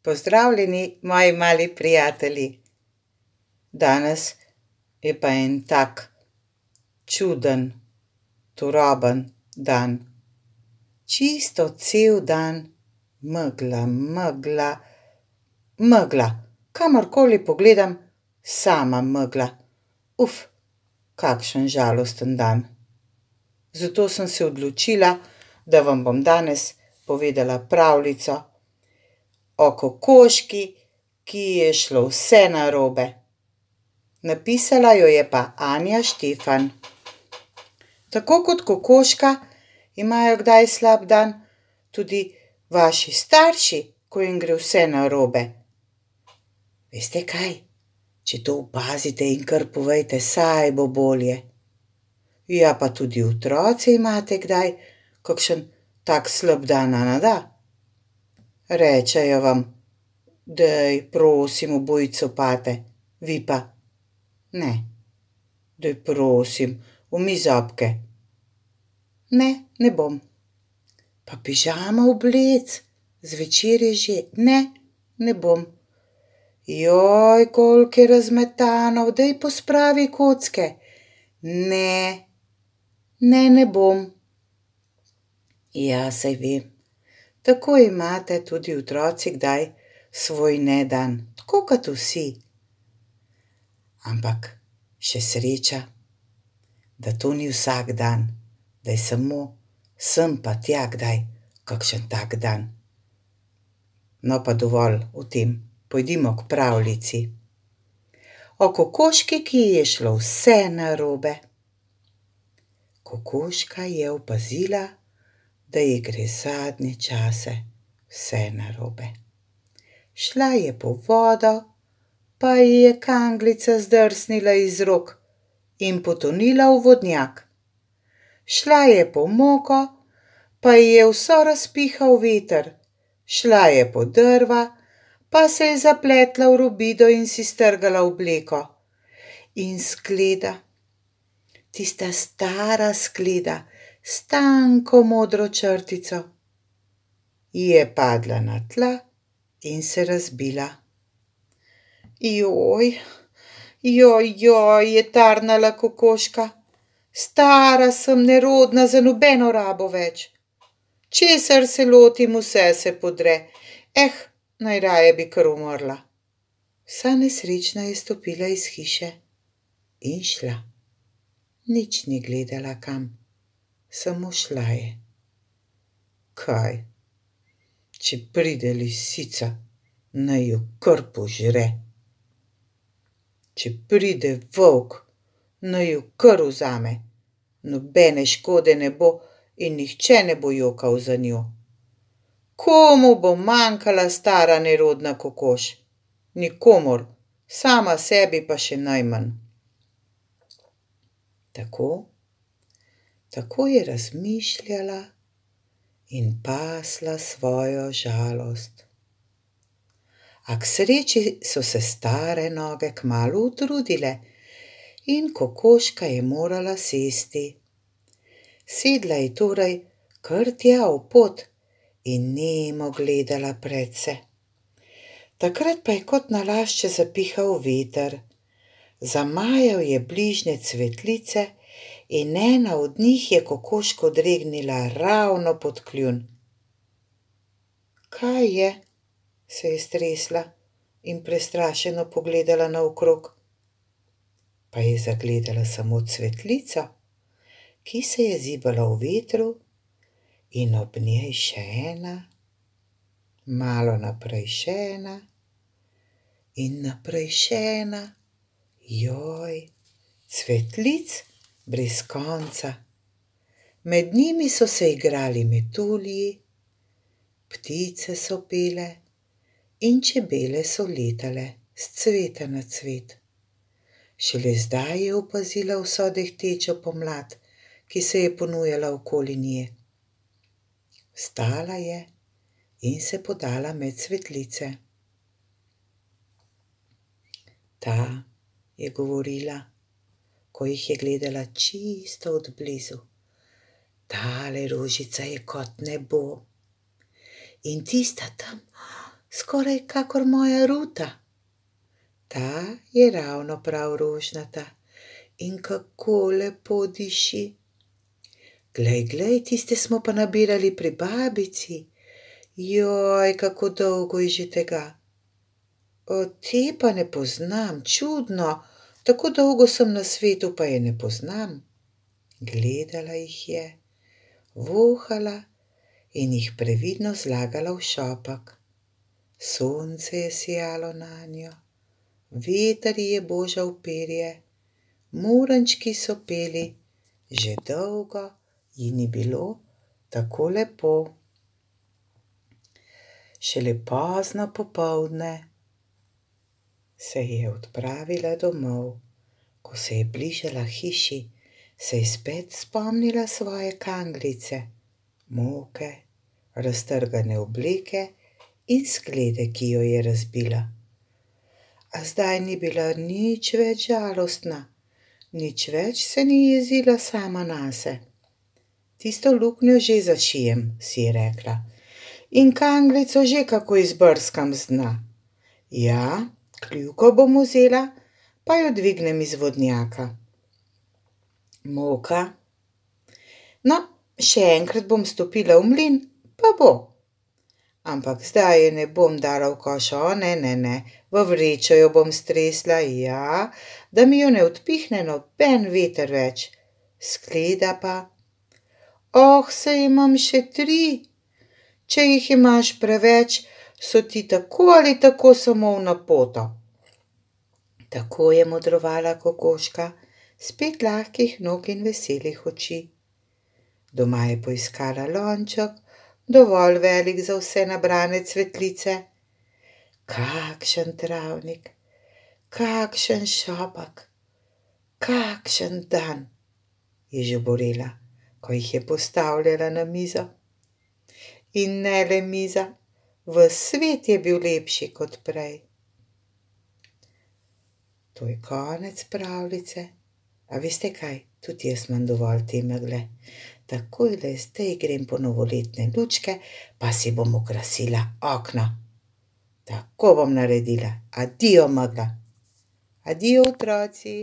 Pozdravljeni, moji mali prijatelji. Danes je pa en tak čuden, turoben dan. Čisto cel dan megla, megla, megla. Kamorkoli pogledam, sama megla. Kakšen žalosten dan. Zato sem se odločila, da vam bom danes povedala pravljico o kokoški, ki ji je šlo vse narobe. Napisala jo je pa Anja Štefan. Tako kot kokoška imajo kdaj slab dan tudi vaši starši, ko jim gre vse narobe. Veste kaj? Če to opazite in kar povejte, saj bo bolje. Ja, pa tudi otroci imate kdaj kakšen tak slab dan, a ne da? Rečejo vam: "Daj, prosim, obuj copate." Vi pa: "Ne." "Daj, prosim, umij zobke." "Ne, ne bom." "Pa pižamo oblec, zvečer je že." "Ne, ne bom." "Joj, koliko je razmetanov, daj pospravi kocke." "Ne, ne, ne bom." Ja, saj vem. Tako imate tudi otroci kdaj svoj nedan, tako kot vsi. Ampak še sreča, da to ni vsak dan, da je samo sem pa tja kdaj kakšen tak dan. No, pa dovolj o tem, pojdimo k pravljici. O kokoški, ki ji je šlo vse narobe. Kokoška je opazila, da ji gre zadnje čase vse narobe. Šla je po vodo, pa ji je kanglica zdrsnila iz rok in potonila v vodnjak. Šla je po moko, pa ji je vso razpihal veter. Šla je po drva, pa se je zapletla v robido in si strgala obleko. In skleda, tista stara skleda, s tanko modro črtico, ji je padla na tla in se razbila. "Joj, joj, joj," je tarnala kokoška. "Stara sem, nerodna, za nobeno rabo več. Česar se lotim, vse se podre. Najraje bi kar umrla." Vsa nesrečna je stopila iz hiše in šla. Nič ni gledala kam, samo šla je. Kaj, če pride lisica, naj jo kar požre. Če pride volk, naj jo kar vzame. Nobene škode ne bo in nihče ne bo jokal za njo. Komu bo manjkala stara nerodna kokoš? Nikomur, sama sebi pa še najmanj. Tako je razmišljala in pasla svojo žalost. A k sreči so se stare noge kmalu utrudile in kokoška je morala sesti. Sedla je torej kar tja v pot in nemo gledala predse. Takrat pa je kot nalašč zapihal veter. Zamajal je bližnje cvetlice in ena od njih je kokoško dregnila ravno pod kljun. "Kaj je?" se je stresla in prestrašeno pogledala naokrog. Pa je zagledala samo cvetlico, ki se je zibala v vetru, in ob njej še ena, malo naprej še ena in naprej še ena. Joj, cvetlic brez konca. Med njimi so se igrali metulji, ptice so pele in čebele so letale s cveta na cvet. Šele zdaj je opazila vso dehtečo pomlad, ki se je ponujala okoli nje. Vstala je in se podala med cvetlice. "Ta," je govorila, ko jih je gledala čisto od blizu, "tale rožica je kot nebo. In tista tam, skoraj kakor moja Ruta. Ta je ravno prav rožnata in kako lepo diši. Glej, tiste smo pa nabirali pri babici. Joj, kako dolgo je že tega. Te pa ne poznam, čudno, tako dolgo sem na svetu, pa je ne poznam. Gledala jih je, vohala in jih previdno zlagala v šopek. Sonce je sijalo nanjo, veter ji je božal perje, murančki so peli, že dolgo ji ni bilo tako lepo. Šele pozno popoldne se je odpravila domov. Ko se je bližala hiši, se je spet spomnila svoje kanglice, moke, raztrgane obleke in sklede, ki jo je razbila. A zdaj ni bila nič več žalostna, nič več se ni jezila sama nase. Tisto luknjo že zašijem, si je rekla, in kanglico že kako izbrskam z dna. Ja, kljuko bom vzela, pa jo dvignem iz vodnjaka. Moka? No, še enkrat bom stopila v mlin, pa bo. Ampak zdaj je ne bom dala v koš, ne, v vrečo jo bom stresla, ja, da mi jo ne odpihne noben veter več. Skleda pa? Saj imam še 3. Če jih imaš preveč, so ti tako ali tako samo v napoto. Tako je modrovala kokoška, spet lahkih nog in veselih oči. Doma je poiskala lonček, dovolj velik za vse nabrane cvetlice. Kakšen travnik, kakšen šopek, kakšen dan, je žuborela, ko jih je postavljala na mizo. In ne le miza, ves svet je bil lepši kot prej. To je konec pravljice. A veste kaj, tudi jaz imam dovolj te megle. Takojle zdaj grem po novoletne lučke, pa si bom okrasila okno. Tako bom naredila. Adijo, megla. Adijo, otroci.